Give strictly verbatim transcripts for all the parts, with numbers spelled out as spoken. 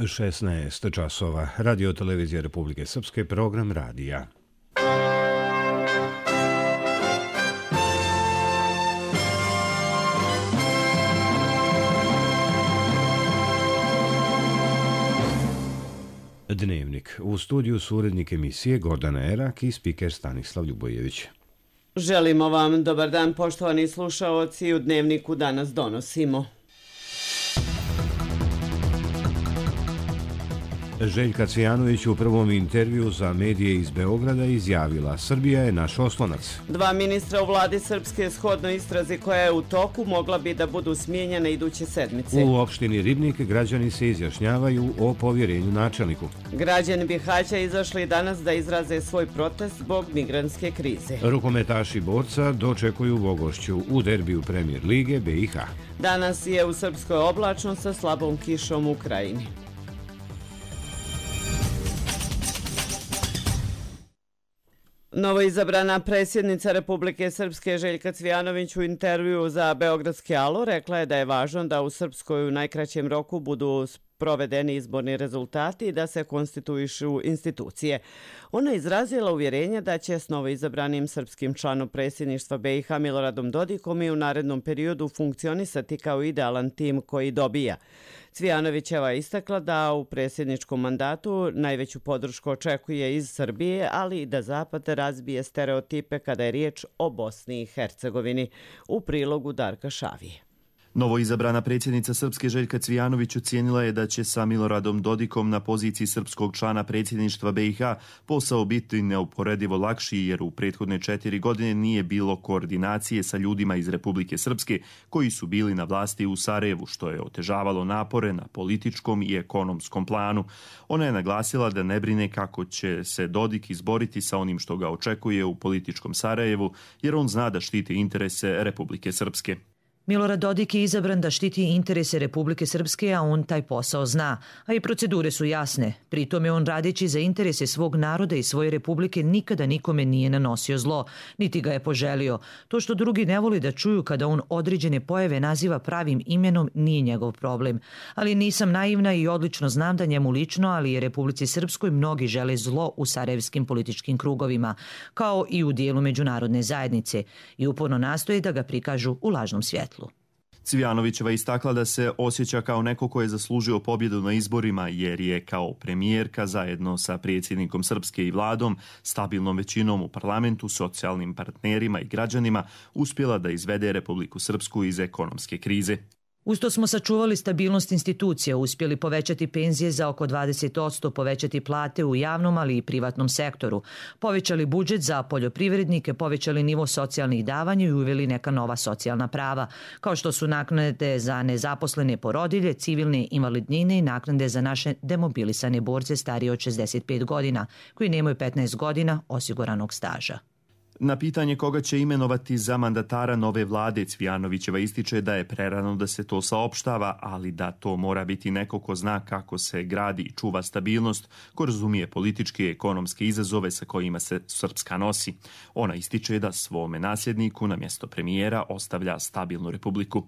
šesnaest časova. Radio televizija Republike Srpske, program radija. Dnevnik. U studiju su urednik emisije Gordana Erak i spiker Stanislav Ljubojević. Želimo vam dobar dan, poštovani slušaoci. U Dnevniku danas donosimo: Željka Cvijanović u prvom intervju za medije iz Beograda izjavila: Srbija je naš oslonac. Dva ministra u vladi Srpske shodno istrazi koja je u toku mogla bi da budu smijenjene iduće sedmice. U opštini Ribnik građani se izjašnjavaju o povjerenju načelniku. Građani Bihaća izašli danas da izraze svoj protest zbog migrantske krize. Rukometaši borca dočekuju Vogošću u derbiju Premijer lige B i H. Danas je u Srpskoj oblačno sa slabom kišom u Krajini. Novoizabrana predsjednica Republike Srpske Željka Cvijanović u intervju za Beogradski alo rekla je da je važno da u Srpskoj u najkraćem roku budu provedeni izborni rezultati i da se konstituišu institucije. Ona je izrazila uvjerenje da će s novoizabranim srpskim članom predsjedništva B i H Miloradom Dodikom i u narednom periodu funkcionisati kao idealan tim koji dobija. Cvijanovićeva je istakla da u predsjedničkom mandatu najveću podršku očekuje iz Srbije, ali i da Zapad razbije stereotipe kada je riječ o Bosni i Hercegovini. U prilogu Darka Šavije. Novoizabrana predsjednica Srpske Željka Cvijanović ocijenila je da će sa Miloradom Dodikom na poziciji srpskog člana predsjedništva B i H posao biti neuporedivo lakši, jer u prethodne četiri godine nije bilo koordinacije sa ljudima iz Republike Srpske koji su bili na vlasti u Sarajevu, što je otežavalo napore na političkom i ekonomskom planu. Ona je naglasila da ne brine kako će se Dodik izboriti sa onim što ga očekuje u političkom Sarajevu, jer on zna da štiti interese Republike Srpske. Milorad Dodik je izabran da štiti interese Republike Srpske, a on taj posao zna, a i procedure su jasne. Pritom je on, radeći za interese svog naroda i svoje republike, nikada nikome nije nanosio zlo, niti ga je poželio. To što drugi ne voli da čuju kada on određene pojave naziva pravim imenom nije njegov problem. Ali nisam naivna i odlično znam da njemu lično, ali i Republici Srpskoj mnogi žele zlo u sarajevskim političkim krugovima, kao i u dijelu međunarodne zajednice, i uporno nastoje da ga prikažu u lažnom svjetlu. Cvijanovićeva istakla da se osjeća kao neko ko je zaslužio pobjedu na izborima, jer je kao premijerka zajedno sa predsjednikom Srpske i vladom, stabilnom većinom u parlamentu, socijalnim partnerima i građanima uspjela da izvede Republiku Srpsku iz ekonomske krize. Usto smo sačuvali stabilnost institucija, uspjeli povećati penzije za oko dvadeset posto, povećati plate u javnom, ali i privatnom sektoru, povećali budžet za poljoprivrednike, povećali nivo socijalnih davanja i uveli neka nova socijalna prava, kao što su naknade za nezaposlene porodilje, civilne invalidnine i naknade za naše demobilisane borce starije od šezdeset pet godina, koji nemaju petnaest godina osiguranog staža. Na pitanje koga će imenovati za mandatara nove vlade, Cvijanovićeva ističe da je prerano da se to saopštava, ali da to mora biti neko ko zna kako se gradi i čuva stabilnost, ko razumije političke i ekonomske izazove sa kojima se Srpska nosi. Ona ističe da svome nasljedniku na mjesto premijera ostavlja stabilnu republiku.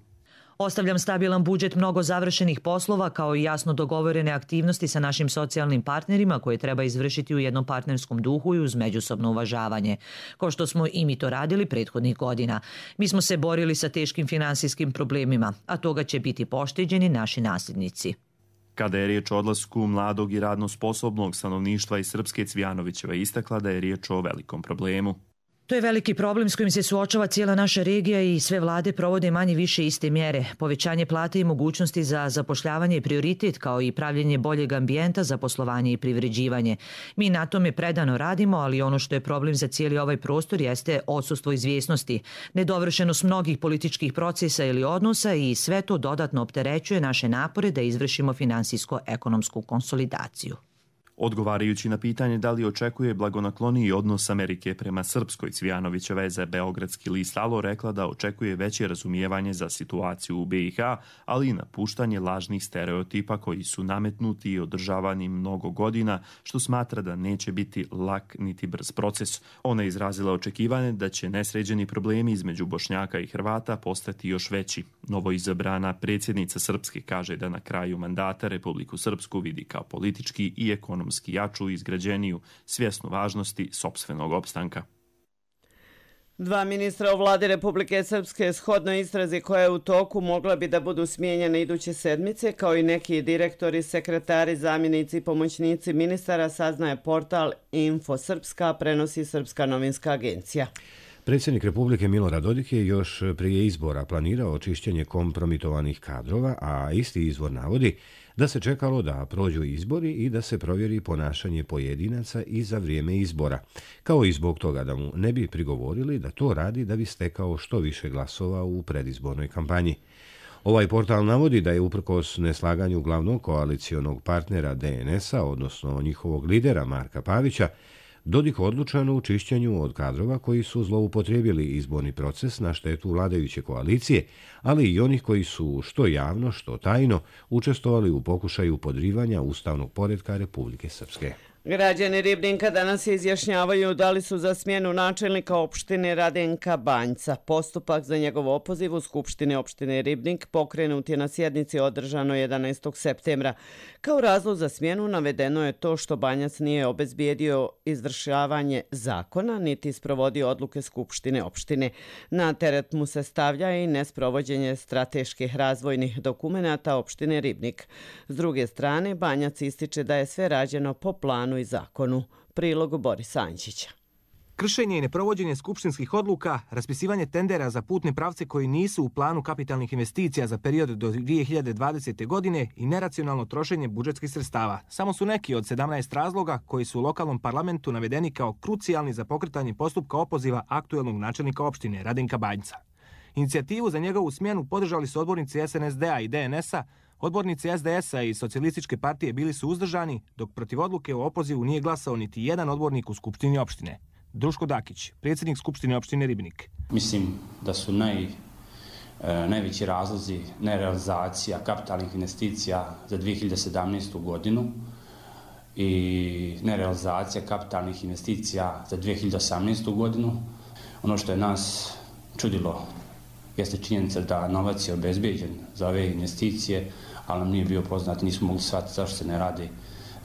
Ostavljam stabilan budžet, mnogo završenih poslova, kao i jasno dogovorene aktivnosti sa našim socijalnim partnerima koje treba izvršiti u jednom partnerskom duhu i uz međusobno uvažavanje, kao što smo i mi to radili prethodnih godina. Mi smo se borili sa teškim finansijskim problemima, a toga će biti pošteđeni naši nasljednici. Kada je riječ o odlasku mladog i radno sposobnog stanovništva iz Srpske, Cvijanovićeva istakla da je riječ o velikom problemu. To je veliki problem s kojim se suočava cijela naša regija i sve vlade provode manje više iste mjere. Povećanje plate i mogućnosti za zapošljavanje je prioritet, kao i pravljenje boljeg ambijenta za poslovanje i privređivanje. Mi na tome predano radimo, ali ono što je problem za cijeli ovaj prostor jeste odsustvo izvjesnosti, nedovršenost mnogih političkih procesa ili odnosa, i sve to dodatno opterećuje naše napore da izvršimo finansijsko-ekonomsku konsolidaciju. Odgovarajući na pitanje da li očekuje blagonakloniji odnos Amerike prema Srpskoj, Cvijanovićeva je za beogradski list Alo rekla da očekuje veće razumijevanje za situaciju u B i H, ali i napuštanje lažnih stereotipa koji su nametnuti i održavani mnogo godina, što smatra da neće biti lak niti brz proces. Ona je izrazila očekivanje da će nesređeni problemi između Bošnjaka i Hrvata postati još veći. Novoizabrana predsjednica Srpske kaže da na kraju mandata Republiku Srpsku vidi kao politički i ekonomski jaču i izgrađeniju, svjesnu važnosti sopstvenog opstanka. Dva ministra u vladi Republike Srpske shodno istrazi koja je u toku mogla bi da budu smijenjene iduće sedmice, kao i neki direktori, sekretari, zamjenici i pomoćnici ministara, saznaje portal Info Srpska, prenosi Srpska novinska agencija. Predsjednik Republike Milorad Dodik je još prije izbora planirao očišćenje kompromitovanih kadrova, a isti izvor navodi da se čekalo da prođu izbori i da se provjeri ponašanje pojedinaca i za vrijeme izbora, kao i zbog toga da mu ne bi prigovorili da to radi da bi stekao što više glasova u predizbornoj kampanji. Ovaj portal navodi da je uprkos neslaganju glavnog koalicionog partnera D N S-a, odnosno njihovog lidera Marka Pavića, Dodik odlučan u čišćenju od kadrova koji su zloupotrijebili izborni proces na štetu vladajuće koalicije, ali i onih koji su što javno, što tajno učestvovali u pokušaju podrivanja ustavnog poretka Republike Srpske. Građani Ribnika danas se izjašnjavaju da li su za smjenu načelnika opštine Radenka Banjca. Postupak za njegov opoziv u Skupštine opštine Ribnik pokrenut je na sjednici održano jedanaestog septembra. Kao razlog za smjenu navedeno je to što Banjac nije obezbijedio izvršavanje zakona niti sprovodio odluke Skupštine opštine. Na teret mu se stavlja i nesprovođenje strateških razvojnih dokumenata opštine Ribnik. S druge strane, Banjac ističe da je sve rađeno po planu i zakonu. Prilog Borisa Ančića. Kršenje i neprovođenje skupštinskih odluka, raspisivanje tendera za putne pravce koji nisu u planu kapitalnih investicija za period do dvije hiljade dvadesete. godine i neracionalno trošenje budžetskih sredstava samo su neki od sedamnaest razloga koji su u lokalnom parlamentu navedeni kao krucijalni za pokretanje postupka opoziva aktuelnog načelnika opštine Radenka Banjca. Inicijativu za njegovu smjenu podržali su odbornici S N S D-a i D N S-a, odbornici S D S-a i Socijalističke partije bili su uzdržani, dok protiv odluke o opozivu nije glasao niti jedan odbornik u Skupštini opštine. Druško Dakić, predsjednik Skupštine opštine Ribnik. Mislim da su naj, e, najveći razlozi nerealizacija kapitalnih investicija za dvije hiljade sedamnaestu. godinu i nerealizacija kapitalnih investicija za dvije hiljade osamnaestu. godinu. Ono što je nas čudilo jeste činjenica da novac je obezbeđen za ove investicije, ali nam nije bio poznat, nismo mogli shvatiti zašto se ne radi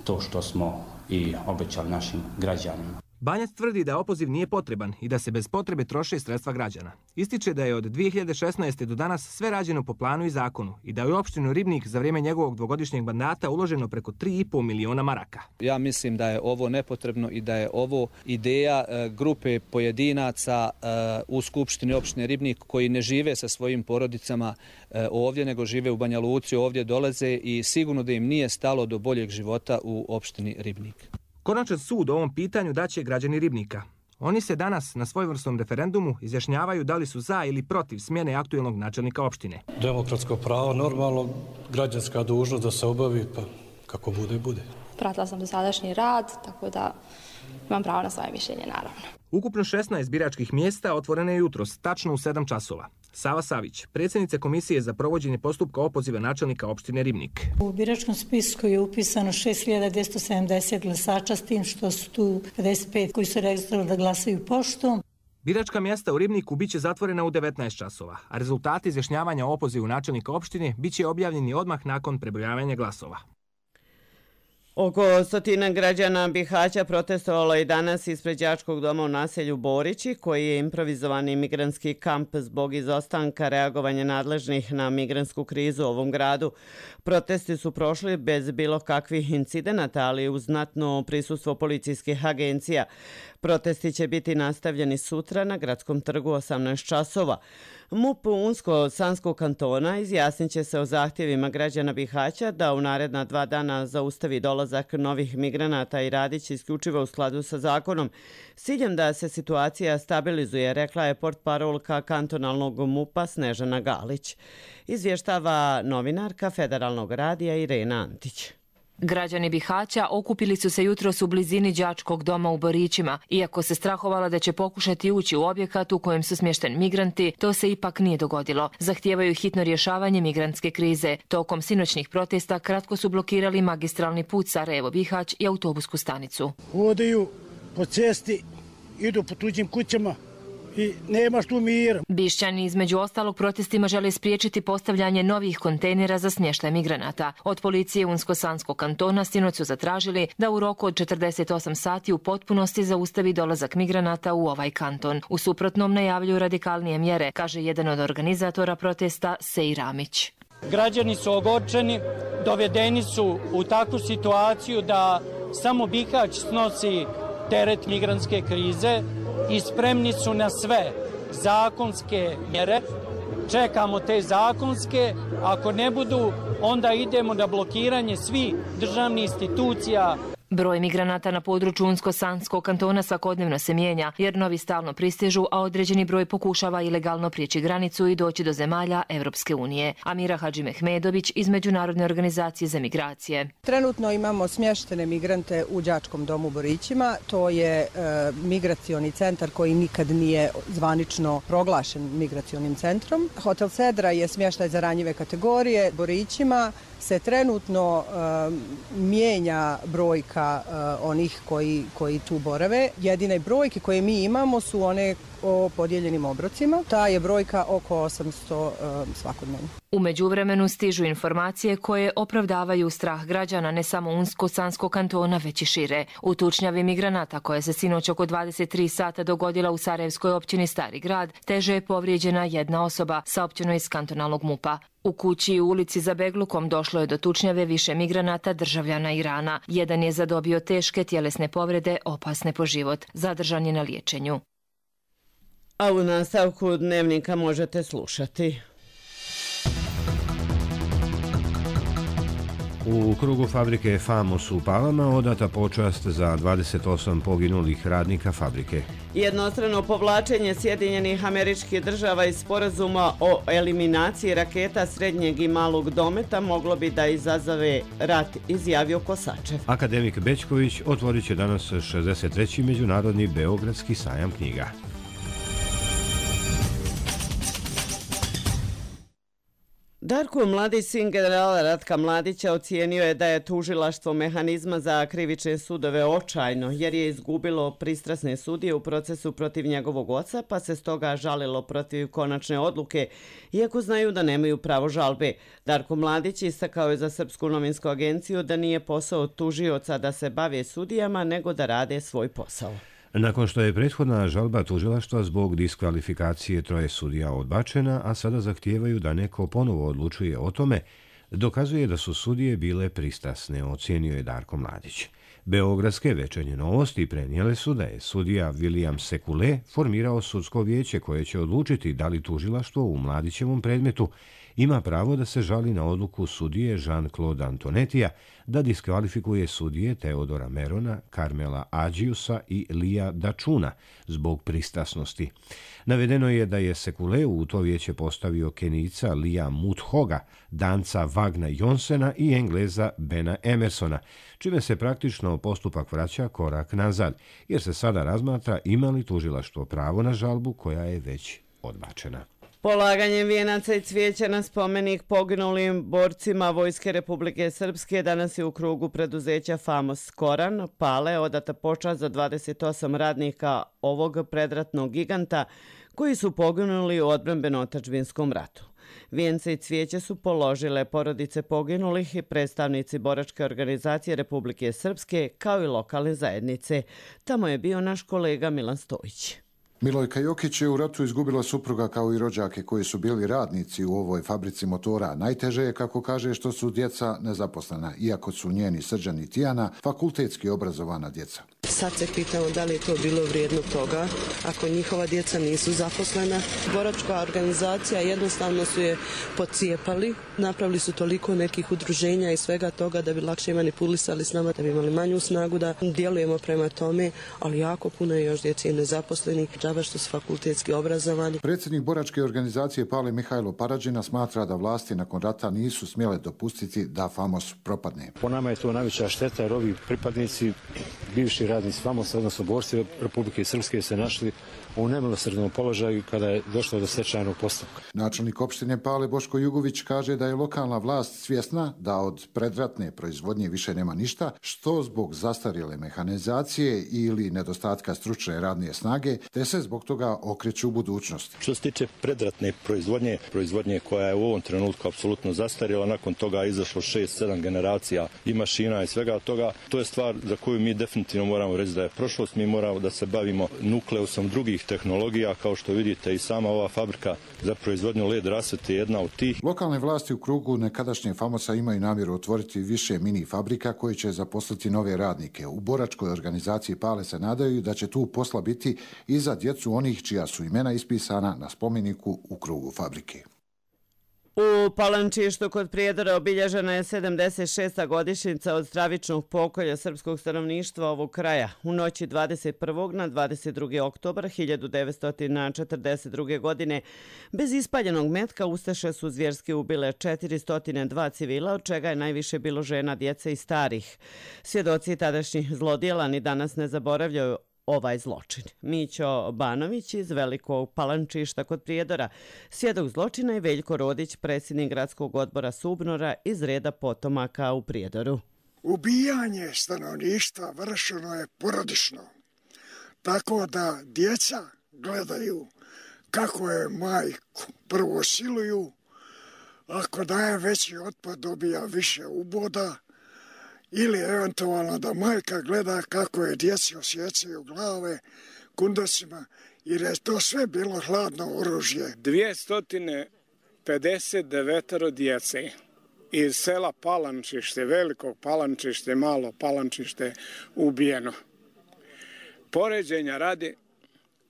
to što smo i obećali našim građanima. Banjac tvrdi da opoziv nije potreban i da se bez potrebe troše sredstva građana. Ističe da je od dvije hiljade šesnaeste. do danas sve rađeno po planu i zakonu i da je u opštinu Ribnik za vrijeme njegovog dvogodišnjeg mandata uloženo preko tri i pol miliona maraka. Ja mislim da je ovo nepotrebno i da je ovo ideja e, grupe pojedinaca e, u Skupštini opštine Ribnik koji ne žive sa svojim porodicama e, ovdje, nego žive u Banja Luci, ovdje dolaze i sigurno da im nije stalo do boljeg života u opštini Ribnik. Konačan sud o ovom pitanju daće građani Ribnika. Oni se danas na svojevrsnom referendumu izjašnjavaju da li su za ili protiv smjene aktuelnog načelnika opštine. Demokratsko pravo, normalno, građanska dužnost da se obavi, pa kako bude, bude. Pratila sam dosadašnji rad, tako da imam pravo na svoje mišljenje, naravno. Ukupno šesnaest biračkih mjesta otvorene je jutros, tačno u sedam časova. Sava Savić, predsjednica Komisije za provođenje postupka opoziva načelnika opštine Ribnik. U biračkom spisku je upisano šest hiljada dvjesto sedamdeset glasača, s tim što su tu pedeset pet koji su registrovali da glasaju poštom. Biračka mjesta u Ribniku biće zatvorena u devetnaest časova, a rezultati izjašnjavanja o opozivu načelnika opštine biće objavljeni odmah nakon prebrojavanja glasova. Oko stotina građana Bihaća protestovalo je danas ispred đačkog doma u naselju Borići, koji je improvizovani migrantski kamp zbog izostanka reagovanja nadležnih na migrantsku krizu u ovom gradu. Protesti su prošli bez bilo kakvih incidenata, ali uz znatno prisustvo policijskih agencija. Protesti će biti nastavljeni sutra na Gradskom trgu osamnaest časova. M U P Unsko-Sanskog kantona izjasnit će se o zahtjevima građana Bihaća da u naredna dva dana zaustavi dolazak novih migranata i radit će isključivo u skladu sa zakonom. S ciljem da se situacija stabilizuje, rekla je portparolka kantonalnog M U P-a Snežana Galić. Izvještava novinarka Federalnog radija Irena Antić. Građani Bihaća okupili su se jutros u blizini đačkog doma u Borićima. Iako se strahovala da će pokušati ući u objekat u kojem su smješteni migranti, to se ipak nije dogodilo. Zahtijevaju hitno rješavanje migrantske krize. Tokom sinoćnih protesta kratko su blokirali magistralni put Sarajevo-Bihać i autobusku stanicu. Hodaju po cesti, idu po tuđim kućama i nemaš tu mira. Bišćani između ostalog protestima žele spriječiti postavljanje novih kontejnera za smještaj migranata. Od policije Unsko-Sanskog kantona sinoć su zatražili da u roku od četrdeset osam sati u potpunosti zaustavi dolazak migranata u ovaj kanton. U suprotnom najavljuju radikalnije mjere, kaže jedan od organizatora protesta Sej Ramić. Građani su ogorčeni, dovedeni su u takvu situaciju da samo Bihać snosi teret migrantske krize i spremni su na sve zakonske mjere. Čekamo te zakonske, ako ne budu, onda idemo na blokiranje svih državnih institucija. Broj migranata na području Unsko-Sanskog kantona svakodnevno se mijenja, jer novi stalno pristižu, a određeni broj pokušava ilegalno prijeći granicu i doći do zemalja Evropske unije. Amira Hadžimehmedović iz Međunarodne organizacije za migracije. Trenutno imamo smještene migrante u đačkom domu u Borićima. To je e, migracioni centar koji nikad nije zvanično proglašen migracionim centrom. Hotel Sedra je smještaj za ranjive kategorije. Borićima se trenutno e, mijenja brojka onih koji, koji tu borave. Jedine brojke koje mi imamo su one o podijeljenim obrocima. Ta je brojka oko osamsto um, svakodnevno. U međuvremenu stižu informacije koje opravdavaju strah građana ne samo Unsko-Sanskog kantona, već i šire. U tučnjavi migranata koja se sinoć oko dvadeset tri sata dogodila u Sarajevskoj općini Stari grad, teže je povrijeđena jedna osoba, saopćeno iz kantonalnog mupa. U kući u ulici za Beglukom došlo je do tučnjave više migranata državljana Irana. Jedan je zadobio teške tjelesne povrede, opasne po život. Zadržan je na liječenju. A u nastavku dnevnika možete slušati. U krugu fabrike Famos u Palama odata počast za dvadeset osam poginulih radnika fabrike. Jednostrano povlačenje Sjedinjenih Američkih Država iz sporazuma o eliminaciji raketa srednjeg i malog dometa moglo bi da izazove rat, izjavio Kosačev. Akademik Bećković otvorit će danas šezdeset treći Međunarodni Beogradski sajam knjiga. Darko Mladić, sin generala Ratka Mladića, ocijenio je da je tužilaštvo mehanizma za krivične sudove očajno, jer je izgubilo pristrasne sudije u procesu protiv njegovog oca, pa se stoga žalilo protiv konačne odluke, iako znaju da nemaju pravo žalbe. Darko Mladić istakao je za Srpsku novinsku agenciju da nije posao tužioca da se bave sudijama, nego da rade svoj posao. Nakon što je prethodna žalba tužilaštva zbog diskvalifikacije troje sudija odbačena, a sada zahtijevaju da neko ponovo odlučuje o tome, dokazuje da su sudije bile pristrasne, ocijenio je Darko Mladić. Beogradske večernje novosti prenijele su da je sudija William Sekule formirao sudsko vijeće koje će odlučiti da li tužilaštvo u Mladićevom predmetu ima pravo da se žali na odluku sudije Jean-Claude Antonetija da diskvalifikuje sudije Teodora Merona, Karmela Ađiusa i Lija Dačuna zbog pristrasnosti. Navedeno je da je Sekule u to vijeće postavio Kenijca Lija Muthoga, Danca Vagna Jonsena i Engleza Bena Emersona, čime se praktično postupak vraća korak nazad, jer se sada razmatra ima li tužilaštvo pravo na žalbu koja je već odbačena. Polaganjem vijenaca i cvijeća na spomenik poginulim borcima Vojske Republike Srpske danas je u krugu preduzeća Famos Koran Pale odata počast za dvadeset osam radnika ovog predratnog giganta koji su poginuli u odbrambeno-otadžbinskom ratu. Vijence i cvijeće su položile porodice poginulih i predstavnici boračke organizacije Republike Srpske kao i lokalne zajednice. Tamo je bio naš kolega Milan Stojić. Milojka Jokić je u ratu izgubila supruga kao i rođake koji su bili radnici u ovoj fabrici motora. Najteže je, kako kaže, što su djeca nezaposlena, iako su njeni Srđan i Tijana fakultetski obrazovana djeca. sad se pitamo da li je to bilo vrijedno toga ako njihova djeca nisu zaposlena. Boračka organizacija jednostavno su je pocijepali, napravili su toliko nekih udruženja i svega toga da bi lakše manipulisali s nama, da bi imali manju snagu da djelujemo prema tome, ali jako puno je još djece nezaposlenih, džaba što su fakultetski obrazovani. Predsjednik boračke organizacije Pale Mihajlo Parađina smatra da vlasti nakon rata nisu smjele dopustiti da Famos propadne. Po nama je to najveća šteta jer ovi pripadnici, bivši radnici Famosa, odnosno borci Republike Srpske, se našli u nemilosrdnom položaju kada je došlo do stečajnog postupka. Načelnik opštine Pale Boško Jugović kaže da je lokalna vlast svjesna da od predratne proizvodnje više nema ništa, što zbog zastarjele mehanizacije ili nedostatka stručne radne snage, te se zbog toga okreću u budućnosti. Što se tiče predratne proizvodnje, proizvodnje koja je u ovom trenutku apsolutno zastarjela, nakon toga je izašlo šest sedam generacija i mašina i svega toga, to je stvar za koju mi definitivno moramo reći da je prošlost. Mi moramo da se bavimo nukleusom drugih tehnologija, kao što vidite i sama ova fabrika za proizvodnju led rasvete je jedna od tih. Lokalne vlasti u krugu nekadašnje Famosa imaju namjeru otvoriti više mini fabrika koje će zaposliti nove radnike. U boračkoj organizaciji Pale se nadaju da će tu posla biti i za djecu onih čija su imena ispisana na spomeniku u krugu fabrike. U Palančištu kod Prijedora obilježena je sedamdeset šesta godišnjica od stravičnog pokolja srpskog stanovništva ovog kraja. U noći dvadeset prvog na dvadeset drugi oktobar hiljadu devetsto četrdeset druge. godine bez ispaljenog metka ustaše su zvjerski ubile četiristo dva civila, od čega je najviše bilo žena, djece i starih. Svjedoci tadašnjih zlodjela ni danas ne zaboravljaju ovaj zločin. Mićo Banović iz Velikog Palančišta kod Prijedora, svjedok zločina, i Veljko Rodić, predsjednik gradskog odbora Subnora iz reda potomaka u Prijedoru. Ubijanje stanovništva vršeno je porodično, tako da djeca gledaju kako je majku prvo siluju, ako daje veći otpad dobija više uboda, ili eventualno da majka gleda kako je djeci osjecaju glave kundosima, jer je to sve bilo hladno oružje. dvjesto pedeset devet djece iz sela Palančište, Velikog Palančište, Malo Palančište ubijeno. Poređenja radi,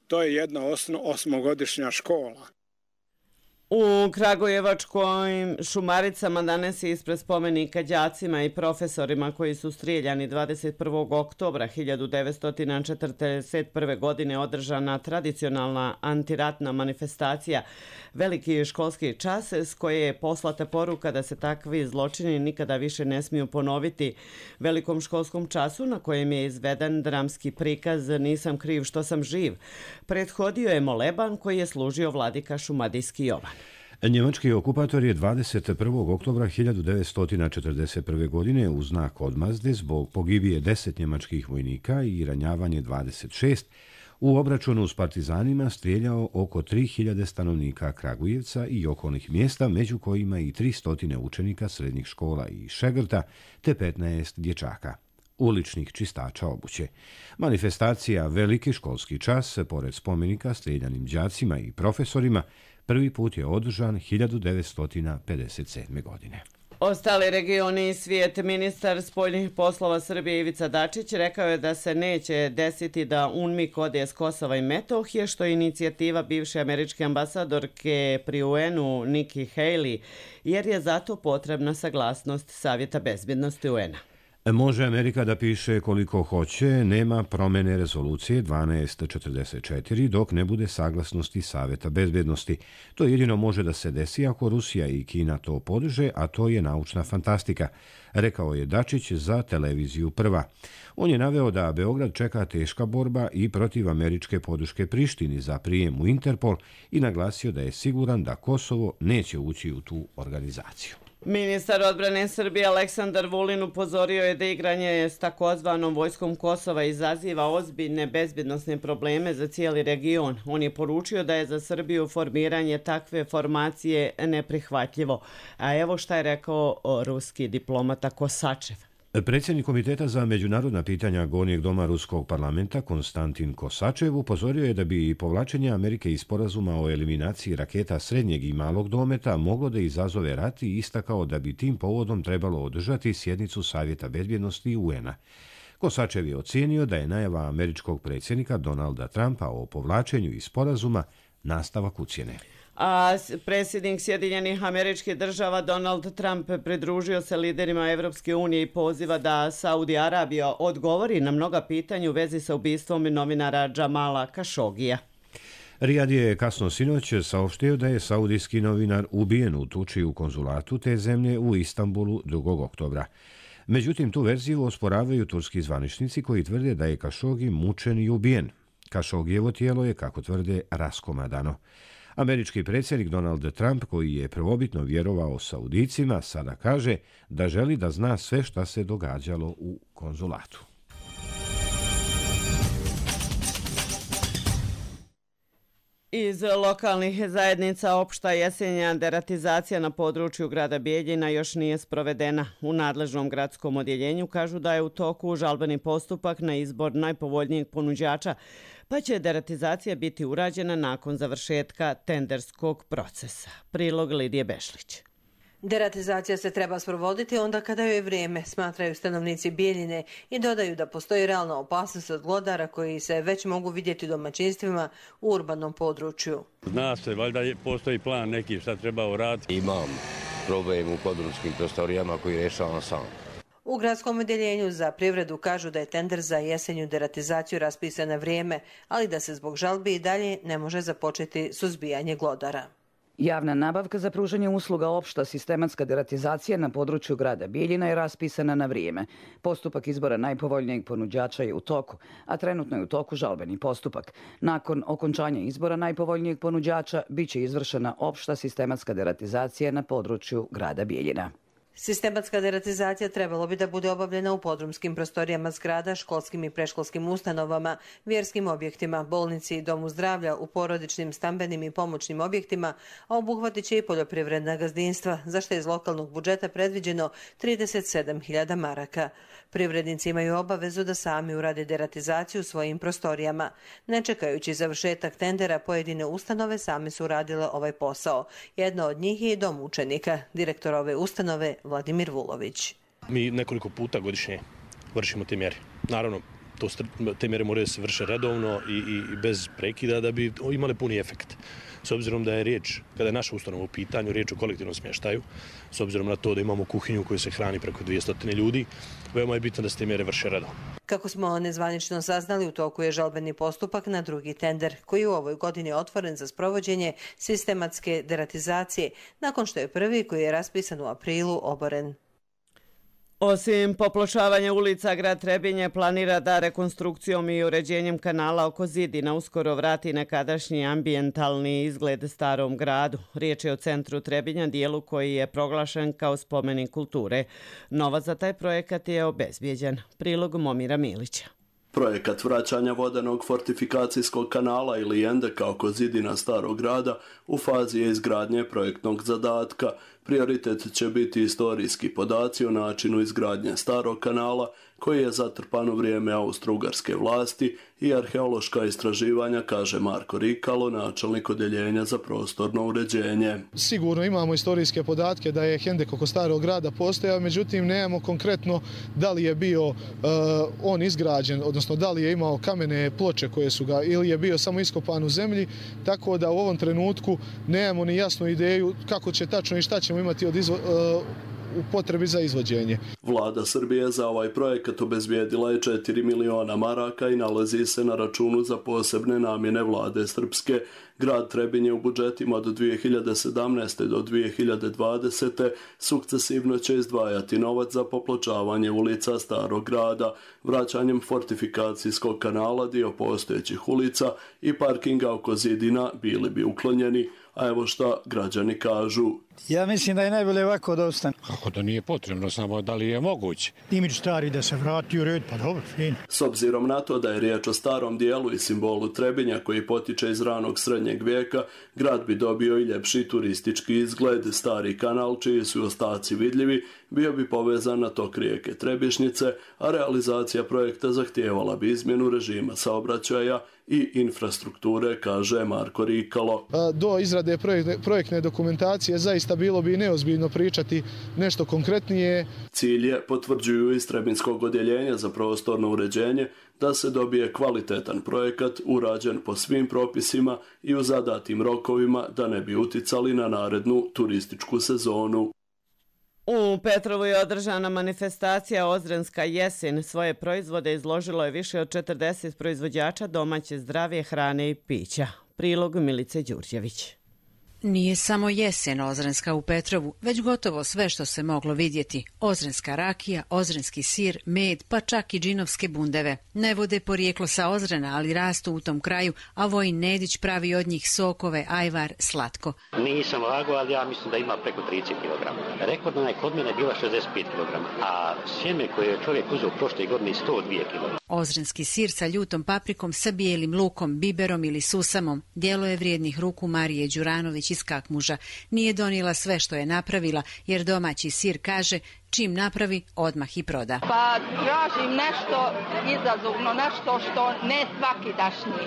to je jedna osno, osmogodišnja škola. U Kragujevačkim Šumaricama danas je ispred spomenika đacima i profesorima koji su strijeljani dvadeset prvog oktobra hiljadu devetsto četrdeset prve. godine održana tradicionalna antiratna manifestacija Veliki školski čas, s koje je poslata poruka da se takvi zločini nikada više ne smiju ponoviti. Velikom školskom času, na kojem je izveden dramski prikaz Nisam kriv što sam živ, prethodio je moleban koji je služio vladika Šumadijski Jovan. Njemački okupator je dvadeset prvog oktobra hiljadu devetsto četrdeset prve. godine u znak odmazde zbog pogibije deset njemačkih vojnika i ranjavanje dvadeset šest u obračunu s partizanima strijeljao oko tri hiljade stanovnika Kragujevca i okolnih mjesta, među kojima i tristo učenika srednjih škola i šegrta te petnaest dječaka, uličnih čistača obuće. Manifestacija Veliki školski čas, pored spomenika strijeljanim đacima i profesorima, prvi put je održan hiljadu devetsto pedeset sedme. godine. Ostali regioni i svijet. Ministar spoljnih poslova Srbije Ivica Dačić rekao je da se neće desiti da UNMIK ode s Kosova i Metohije, što je inicijativa bivše američke ambasadorke pri U N-u Nikki Haley, jer je zato potrebna saglasnost Savjeta bezbjednosti U N-a. Može Amerika da piše koliko hoće, nema promjene rezolucije dvanaest četrdeset četiri dok ne bude saglasnosti Savjeta bezbjednosti. To jedino može da se desi ako Rusija i Kina to podrže, a to je naučna fantastika, rekao je Dačić za televiziju Prva. On je naveo da Beograd čeka teška borba i protiv američke podrške Prištini za prijem u Interpol i naglasio da je siguran da Kosovo neće ući u tu organizaciju. Ministar odbrane Srbije Aleksandar Vulin upozorio je da igranje s takozvanom vojskom Kosova izaziva ozbiljne bezbjednosne probleme za cijeli region. On je poručio da je za Srbiju formiranje takve formacije neprihvatljivo. A evo šta je rekao ruski diplomata Kosačev. Predsjednik Komiteta za međunarodna pitanja Gornjeg doma Ruskog parlamenta Konstantin Kosačev upozorio je da bi povlačenje Amerike iz sporazuma o eliminaciji raketa srednjeg i malog dometa moglo da izazove rat i istakao da bi tim povodom trebalo održati sjednicu Savjeta bezbjednosti U N-a. Kosačev je ocijenio da je najava američkog predsjednika Donalda Trumpa o povlačenju iz sporazuma nastavak ucjene. A predsjednik Sjedinjenih Američkih Država Donald Trump pridružio se liderima Evropske unije i poziva da Saudi Arabija odgovori na mnoga pitanja u vezi sa ubistvom novinara Džamala Kašogija. Rijad je kasno sinoć saopštio da je saudijski novinar ubijen u tuči u konzulatu te zemlje u Istanbulu drugog oktobra. Međutim, tu verziju osporavaju turski zvaničnici koji tvrde da je Kašogi mučen i ubijen. Kašogijevo tijelo je, kako tvrde, raskomadano. Američki predsjednik Donald Trump, koji je prvobitno vjerovao Saudicima, sada kaže da želi da zna sve šta se događalo u konzulatu. Iz lokalnih zajednica opšta jesenja deratizacija na području grada Bijeljina još nije sprovedena. U nadležnom gradskom odjeljenju kažu da je u toku žalbeni postupak na izbor najpovoljnijeg ponuđača, pa će deratizacija biti urađena nakon završetka tenderskog procesa. Prilog Lidije Bešlić. Deratizacija se treba sprovoditi onda kada joj je vrijeme, smatraju stanovnici Bijeljine i dodaju da postoji realna opasnost od glodara koji se već mogu vidjeti u domaćinstvima u urbanom području. Zna se, valjda postoji plan neki šta treba uraditi. Imam problem u podrumskim prostorijama koji rješavam sam. U gradskom odjeljenju za privredu kažu da je tender za jesenju deratizaciju raspisan na vrijeme, ali da se zbog žalbi i dalje ne može započeti suzbijanje glodara. Javna nabavka za pružanje usluga opšta sistematska deratizacija na području grada Bijeljina je raspisana na vrijeme. Postupak izbora najpovoljnijeg ponuđača je u toku, a trenutno je u toku žalbeni postupak. Nakon okončanja izbora najpovoljnijeg ponuđača biće izvršena opšta sistematska deratizacija na području grada Bijeljina. Sistematska deratizacija trebalo bi da bude obavljena u podrumskim prostorijama zgrada, školskim i preškolskim ustanovama, vjerskim objektima, bolnici, domu zdravlja, u porodičnim, stambenim i pomoćnim objektima, a obuhvatit će i poljoprivredna gazdinstva, za što je iz lokalnog budžeta predviđeno trideset sedam hiljada maraka. Privrednici imaju obavezu da sami urade deratizaciju u svojim prostorijama. Ne čekajući završetak tendera, pojedine ustanove same su uradile ovaj posao. Jedna od njih je i dom učenika, direktor ove ustanove Vladimir Vulović. Mi nekoliko puta godišnje vršimo te mjere. Naravno, to, te mjere moraju se vrše redovno i, i bez prekida da bi imale puni efekt. S obzirom da je riječ, kada je naša ustanova u pitanju, riječ o kolektivnom smještaju, s obzirom na to da imamo kuhinju koju se hrani preko dvjesto ljudi, veoma je bitno da se te mjere vrše redovno. Kako smo nezvanično saznali, u toku je žalbeni postupak na drugi tender, koji je u ovoj godini otvoren za sprovođenje sistematske deratizacije, nakon što je prvi, koji je raspisan u aprilu, oboren. Osim popločavanja ulica, grad Trebinje planira da rekonstrukcijom i uređenjem kanala oko Zidina uskoro vrati nekadašnji ambijentalni izgled starom gradu. Riječ je o centru Trebinja, dijelu koji je proglašen kao spomenik kulture. Novac za taj projekat je obezbijeđen. Prilog Momira Milića. Projekat vraćanja vodenog fortifikacijskog kanala ili endeka oko Zidina starog grada u fazi je izgradnje projektnog zadatka. Prioritet će biti istorijski podaci o načinu izgradnje starog kanala koji je zatrpan u vrijeme austro-ugarske vlasti i arheološka istraživanja, kaže Marko Rikalo, načelnik odjeljenja za prostorno uređenje. Sigurno imamo istorijske podatke da je hendek oko starog grada postojao, međutim nemamo konkretno da li je bio uh, on izgrađen, odnosno da li je imao kamene ploče koje su ga ili je bio samo iskopan u zemlji, tako da u ovom trenutku nemamo ni jasnu ideju kako će tačno i šta ćemo imati od izvo, uh, u potrebi za izvođenje. Vlada Srbije za ovaj projekat obezbijedila je četiri miliona maraka i nalazi se na računu za posebne namjene vlade Srpske. Grad Trebinje u budžetima do dvije hiljade sedamnaeste. do dvije hiljade dvadesete. sukcesivno će izdvajati novac za popločavanje ulica starog grada, vraćanjem fortifikacijskog kanala, dio postojećih ulica i parkinga oko Zidina bili bi uklonjeni. A evo šta građani kažu. Ja mislim da je najbolje ovako da ostane. Kako da nije potrebno, samo da li je moguće? Imidž stari da se vrati u red, pa dobro, fin. S obzirom na to da je riječ o starom dijelu i simbolu Trebinja koji potiče iz ranog srednjeg vijeka, grad bi dobio i ljepši turistički izgled. Stari kanal, čiji su ostaci vidljivi, bio bi povezan na tok rijeke Trebišnjice, a realizacija projekta zahtijevala bi izmjenu režima saobraćaja i infrastrukture, kaže Marko Rikalo. Do izrade projektne dokumentacije zaista bilo bi neozbiljno pričati nešto konkretnije. Cilj je, potvrđuju iz Trebinskog odjeljenja za prostorno uređenje, da se dobije kvalitetan projekat urađen po svim propisima i u zadatim rokovima da ne bi uticali na narednu turističku sezonu. U Petrovu je održana manifestacija Ozrenska jesen. Svoje proizvode izložilo je više od četrdeset proizvođača domaće zdrave hrane i pića. Prilog Milice Đurđević. Nije samo jesen ozrenska u Petrovu, već gotovo sve što se moglo vidjeti. Ozrenska rakija, ozrenski sir, med, pa čak i džinovske bundeve. Ne vode porijeklo sa Ozrena, ali rastu u tom kraju, a Vojin Nedić pravi od njih sokove, ajvar, slatko. Nisam lagao, ali ja mislim da ima preko trideset kilograma. Rekordna je kod mene bila šezdeset pet kilograma, a sjeme koje je čovjek uzeo prošle godine sto dva kilograma. Ozrenski sir sa ljutom paprikom, sa bijelim lukom, biberom ili susamom. Djelo je vrijednih ruku Marije Đuranović iz Kakmuža. Nije donijela sve što je napravila, jer domaći sir, kaže, čim napravi, odmah i proda. Pa tražim nešto izazovno, nešto što ne svaki dašnji,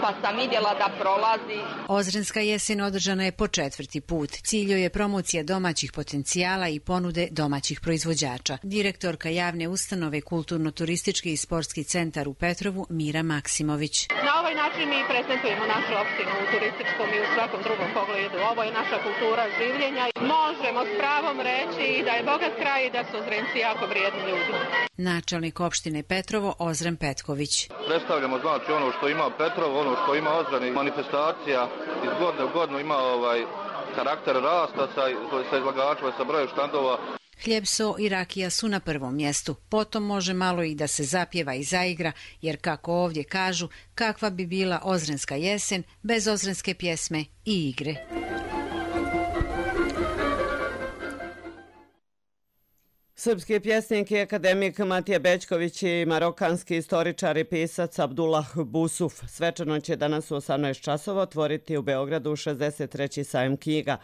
pa sam vidjela da prolazi. Ozrenska jesen održana je po četvrti put. Cilj je promocija domaćih potencijala i ponude domaćih proizvođača. Direktorka javne ustanove Kulturno-turistički i sportski centar u Petrovu, Mira Maksimović. Na ovaj način mi prezentujemo našu opštinu u turističkom i u svakom drugom pogledu. Ovo je naša kultura življenja. Možemo s pravom reći da je bogat kraj i da su Ozrenci jako vrijedni ljudi. Načelnik opštine Petrovo, Ozren Petković. Predstavljamo znači ono što ima Petrovo, ono što ima Ozren, manifestacija iz godine u godinu ima ovaj karakter rasta sa, sa izlagačima, sa brojem štandova. Hljeb, so i rakija su na prvom mjestu. Potom može malo i da se zapjeva i zaigra, jer kako ovdje kažu, kakva bi bila ozrenska jesen bez ozrenske pjesme i igre. Srpski pjesnik i akademik Matija Bećković i marokanski istoričar i pisac Abdullah Busuf svečano će danas u osamnaest časova otvoriti u Beogradu šezdeset treći sajam knjiga.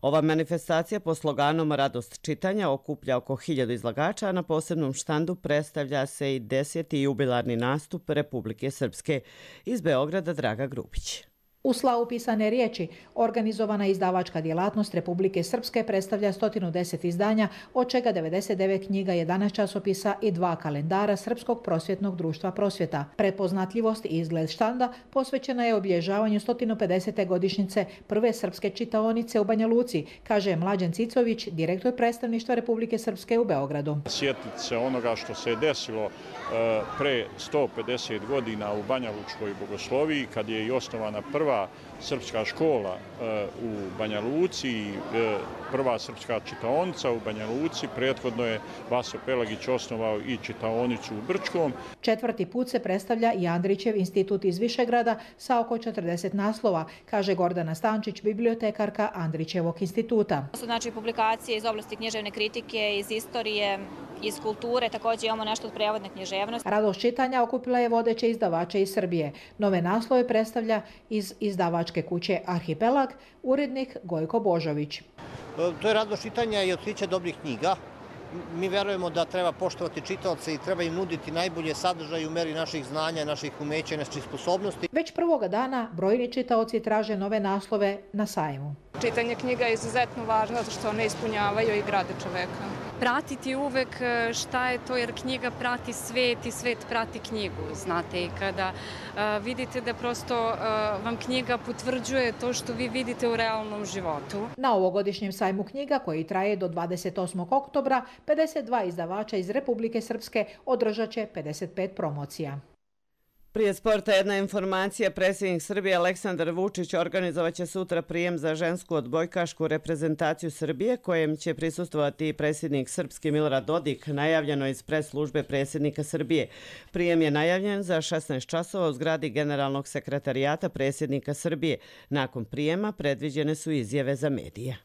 Ova manifestacija po sloganom Radost čitanja okuplja oko hiljadu izlagača, a na posebnom štandu predstavlja se i deseti jubilarni nastup Republike Srpske. Iz Beograda Draga Grubić. U slavu pisane riječi, organizovana izdavačka djelatnost Republike Srpske predstavlja sto deset izdanja, od čega devedeset devet knjiga, jedanaest časopisa i dva kalendara Srpskog prosvjetnog društva Prosvjeta. Prepoznatljivost i izgled štanda posvećena je obilježavanju sto pedesete godišnjice prve srpske čitaonice u Banja Luci, kaže Mlađan Cicović, direktor predstavništva Republike Srpske u Beogradu. Sjetiti se onoga što se je desilo pre sto pedeset godina u Banja Lučkoj bogosloviji, kad je i osnovana prva srpska škola u Banja Luci, prva srpska čitaonica u Banja Luci. Prethodno je Vaso Pelagić osnovao i čitaonicu u Brčkom. Četvrti put se predstavlja i Andrićev institut iz Višegrada sa oko četrdeset naslova, kaže Gordana Stančić, bibliotekarka Andrićevog instituta. To su znači publikacije iz oblasti književne kritike, iz istorije, iz kulture, također imamo nešto od prevodne književnosti. Radost čitanja okupila je vodeće izdavače iz Srbije. Nove naslove predstavlja iz izdavačke kuće Arhipelag, urednik Gojko Božović. To je radost čitanja i otkriće dobrih knjiga. Mi verujemo da treba poštovati čitaoce i treba im nuditi najbolje sadržaje u meri naših znanja, naših umeća i naših sposobnosti. Već prvoga dana brojni čitaoci traže nove naslove na sajmu. Čitanje knjiga je izuzetno važno zato što one ispunjavaju i grade čoveka. Pratiti uvek šta je to, jer knjiga prati svet i svet prati knjigu, znate, i kada uh, vidite da prosto uh, vam knjiga potvrđuje to što vi vidite u realnom životu. Na ovogodišnjem sajmu knjiga, koji traje do dvadeset osmog oktobra, pedeset dva izdavača iz Republike Srpske održat će pedeset pet promocija. Prije sporta jedna informacija. Predsjednik Srbije Aleksandar Vučić organizovaće sutra prijem za žensku odbojkašku reprezentaciju Srbije, kojem će prisustvovati predsjednik Srpski Milorad Dodik, najavljeno iz pres službe predsjednika Srbije. Prijem je najavljen za šesnaest časova u zgradi Generalnog sekretarijata predsjednika Srbije. Nakon prijema predviđene su izjave za medije.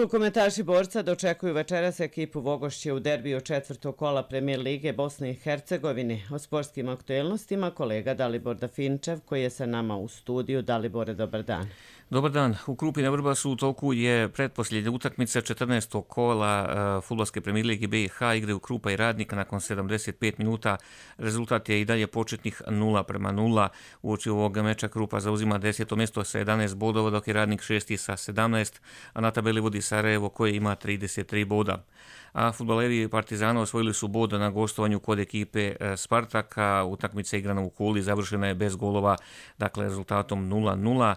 Rukometaši Borca dočekuju večeras ekipu Vogošće u derbiju četvrtog kola Premijer Lige Bosne i Hercegovine. O sportskim aktuelnostima kolega Dalibor Dafinčev koji je sa nama u studiju. Dalibore, dobar dan. Dobar dan. U Krupine Vrbasu u toku je pretposljednja utakmica četrnaestog kola uh, fudbalske Premijer Lige B i H, igraju Krupa i Radnika nakon sedamdeset pet minuta. Rezultat je i dalje početnih nula prema nula. Uoči ovog meča Krupa zauzima deseto mjesto sa jedanaest bodova, dok je Radnik šesti sa sedamnaest, a na tabeli vodi Sarajevo koje ima trideset tri boda. A fudbaleri Partizana osvojili su bod na gostovanju kod ekipe Spartaka. Utakmica igrana u Kuli završena je bez golova, dakle rezultatom nula nula.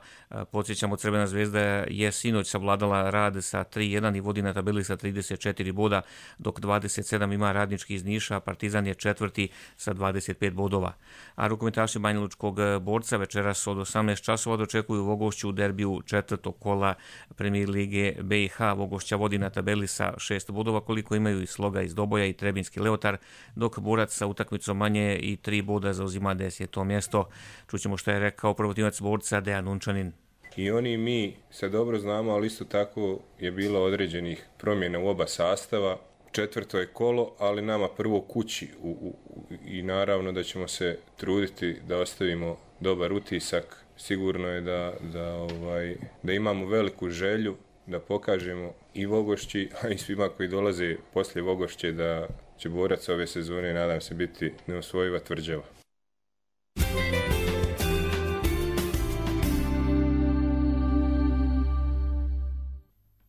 Podsjećamo, Crvena zvezda je sinoć savladala Rad sa tri jedan i vodi na tabeli sa trideset četiri boda, dok dvadeset sedam ima Radnički iz Niša, Partizan je četvrti sa dvadeset pet bodova. A rukometaši Banjalučkog Borca večeras od osamnaest časova dočekuju Vogošću u derbiju četvrtog kola Premijer Lige B i H. Vogošća vodi na tabeli sa šest bodova, koliko imaju i Sloga iz Doboja i Trebinski Leotar, dok Borac sa utakmicom manje i tri boda zauzima deseto mjesto. Čućemo što je rekao prvotimac Borca Dejan Unčanin. I oni i mi se dobro znamo, ali isto tako je bilo određenih promjena u oba sastava. Četvrto je kolo, ali nama prvo kući u, u, i naravno da ćemo se truditi da ostavimo dobar utisak. Sigurno je da, da, ovaj, da imamo veliku želju da pokažemo i Vogošći, a i svima koji dolaze poslije Vogošće da će Borac ove sezone, nadam se, biti neosvojiva tvrđava.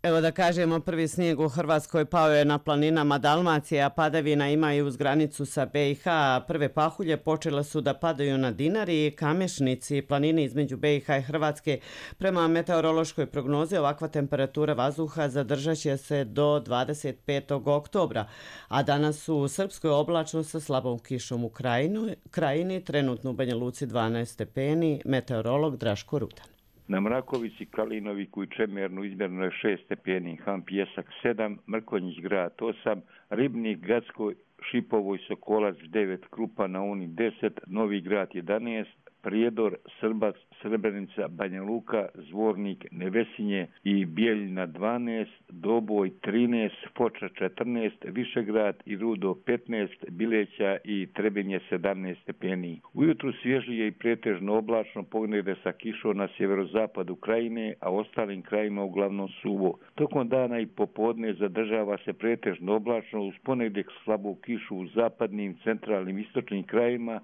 Evo da kažemo, prvi snijeg u Hrvatskoj pao je na planinama Dalmacije, a padavina ima i uz granicu sa B i H. Prve pahulje počele su da padaju na Dinari, Kamešnici, planine između B i H i Hrvatske. Prema meteorološkoj prognozi ovakva temperatura vazduha zadržat će se do dvadeset petog oktobra, a danas u Srpskoj oblačno sa slabom kišom u krajinu, krajini, trenutno u Banja Luci dvanaest stepeni, meteorolog Draško Rudan. Na Mrakovici, Kalinoviku i Čemernu izmjereno je šest stepeni, Han Pjesak sedam, Mrkonjić grad osam, Ribnik, Gacko, Šipovo i Sokolac devet, Krupa na Uni deset, Novi grad jedanaest, Prijedor, Srbac, Srebrenica, Banja Luka, Zvornik, Nevesinje i Bijeljina dvanaest, Doboj trinaest, Foča četrnaest, Višegrad i Rudo petnaest, Bileća i Trebinje sedamnaest stepeni. Ujutru svježije i pretežno oblačno, pognede sa kišom na sjeverozapadu krajine, a ostalim krajima uglavnom suvo. Tokom dana i popodne zadržava se pretežno oblačno uz ponedjeljak slabu kišu u zapadnim, centralnim, istočnim krajima,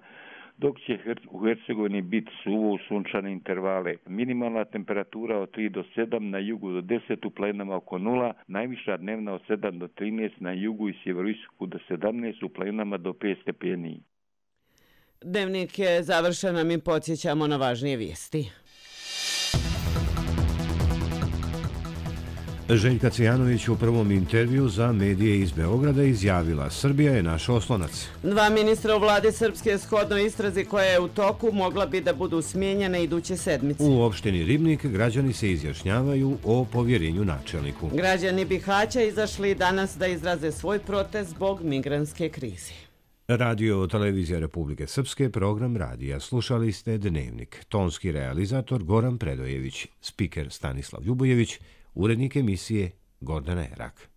dok će u Hercegovini biti suvo u sunčane intervale. Minimalna temperatura od tri do sedam, na jugu do deset, u planinama oko nula, najviša dnevna od sedam do trinaest, na jugu i sjeveroistoku do sedamnaest, u planinama do pet stepeni. Dnevnik je završen, a mi podsjećamo na važnije vijesti. Željka Cvijanović u prvom intervju za medije iz Beograda izjavila: Srbija je naš oslonac. Dva ministra u vladi Srpske shodno istrazi koja je u toku mogla bi da budu smijenjene iduće sedmice. U opštini Ribnik građani se izjašnjavaju o povjerenju načelniku. Građani Bihaća izašli danas da izraze svoj protest zbog migrantske krize. Radio Televizija Republike Srpske, program radija. Slušali ste Dnevnik. Tonski realizator Goran Predojević, spiker Stanislav Ljubojević, urednik emisije Gordana Erak.